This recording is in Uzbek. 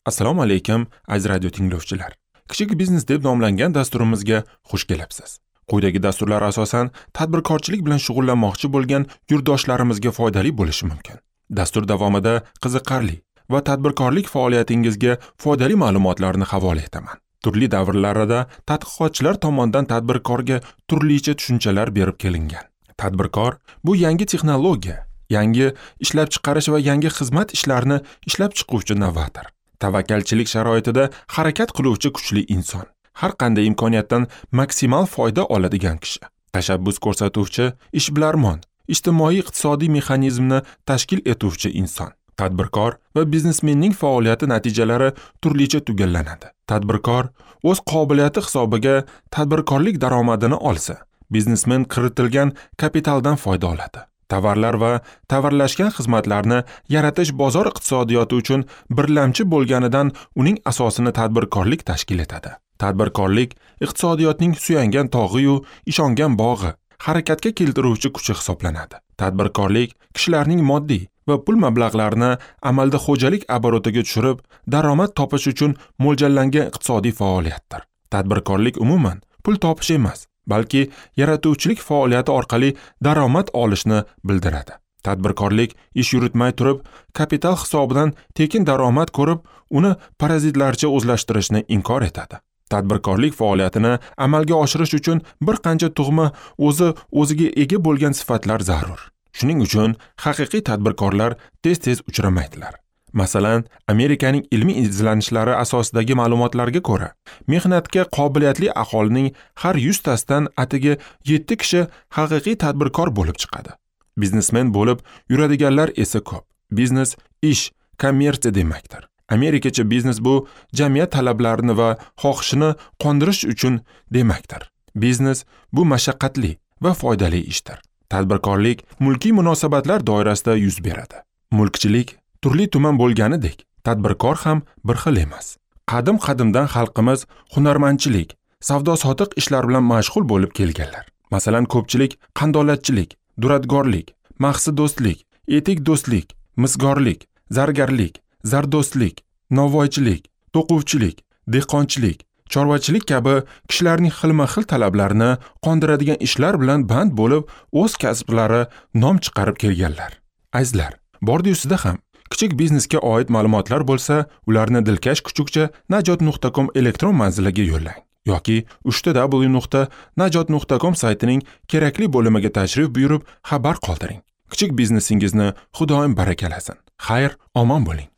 Assalomu alaykum, aziz radio tinglovchilar. Kichik biznes deb nomlangan dasturimizga xush kelibsiz. Quyidagi dasturlar asosan tadbirkorchilik bilan shug'ullanmoqchi bo'lgan yurtdoshlarimizga foydali bo'lishi mumkin. Dastur davomida qiziqarli va tadbirkorlik faoliyatingizga foydali ma'lumotlarni havola etaman. Turli davrlarda tadqiqotchilar tomonidan tadbirkorga turlicha tushunchalar berib kelingan. Tadbirkor bu yangi texnologiya, yangi ishlab chiqarish va yangi xizmat ishlarini ishlab chiquvchi novator. Tavakkalchilik sharoitida harakat qiluvchi kuchli inson. Har qanday imkoniyatdan maksimal foyda oladigan kishi. Tashabbus ko'rsatuvchi ishbilarmon, ijtimoiy-iqtisodiy mexanizmni tashkil etuvchi inson. Tadbirkor va biznesmenning faoliyati natijalari turlicha tugallanadi. Tadbirkor o'z qobiliyati hisobiga tadbirkorlik daromadini olsa, biznesmen kiritilgan kapitaldan foyda oladi. Tovarlar va tovarlashgan xizmatlarni yaratish bozor iqtisodiyoti uchun birlamchi bo'lganidan uning asosini tadbirkorlik tashkil etadi. Tadbirkorlik iqtisodiyotning suyangan tog'i-yu ishongan bog'i, harakatga keltiruvchi kuchi hisoblanadi. Tadbirkorlik kishilarning moddiy va pul mablag'larini amalda xo'jalik oborotiga tushirib, daromad topish uchun mo'ljallangan iqtisodiy faoliyatdir. Tadbirkorlik umuman pul topish emas, balki yaratuvchilik faoliyati orqali daromad olishni bildiradi. Tadbirkorlik ish yuritmay turib, kapital hisobidan tekin daromad ko'rib, uni parazitlarcha o'zlashtirishni inkor etadi. Tadbirkorlik faoliyatini amalga oshirish uchun bir qancha tug'ma o'zi-o'ziga ega bo'lgan sifatlar zarur. Shuning uchun haqiqiy tadbirkorlar tez-tez uchramaydilar. Masalan, Amerikaning ilmiy izlanishlari asosidagi ma'lumotlarga ko'ra, mehnatga qobiliyatli aholining har 100 tasidan atigi 7 kishi haqiqiy tadbirkor bo'lib chiqadi. Biznesmen bo'lib yuradiganlar esa ko'p. Biznes ish, kommersiya demakdir. Amerikacha biznes bu jamiyat talablarini va xohishini qondirish uchun demakdir. Biznes bu mashaqqatli va foydali ishdir. Tadbirkorlik mulkiy munosabatlar doirasida yuz beradi. Mulkchilik turli tuman bo'lganidek, tadbirkor ham bir xil emas. Qadim-qadimdan xalqimiz hunarmandchilik, savdo-sotiq ishlar bilan mashg'ul bo'lib kelganlar. Masalan, ko'pchilik qandolatchilik, duradgorlik, mahsi do'stlik, etik do'stlik, misgorlik, zargarlik, zardo'stlik, novvoychilik, to'quvchilik, dehqonchilik, chorvachilik kabi kishilarning xilma-xil talablarini qondiradigan ishlar bilan band bo'lib, o'z kasblari nom chiqarib kelganlar. Azizlar, bordi-yusida ham kichik biznesga oid ma'lumotlar bo'lsa, ularni dilkash kuchukcha najot.com elektron manziliga yo'llang yoki www.najot.com saytining kerakli bo'limiga tashrif buyurib xabar qoldiring. Kichik biznesingizni Xudoyim barakalasin. Xayr, omon bo'ling.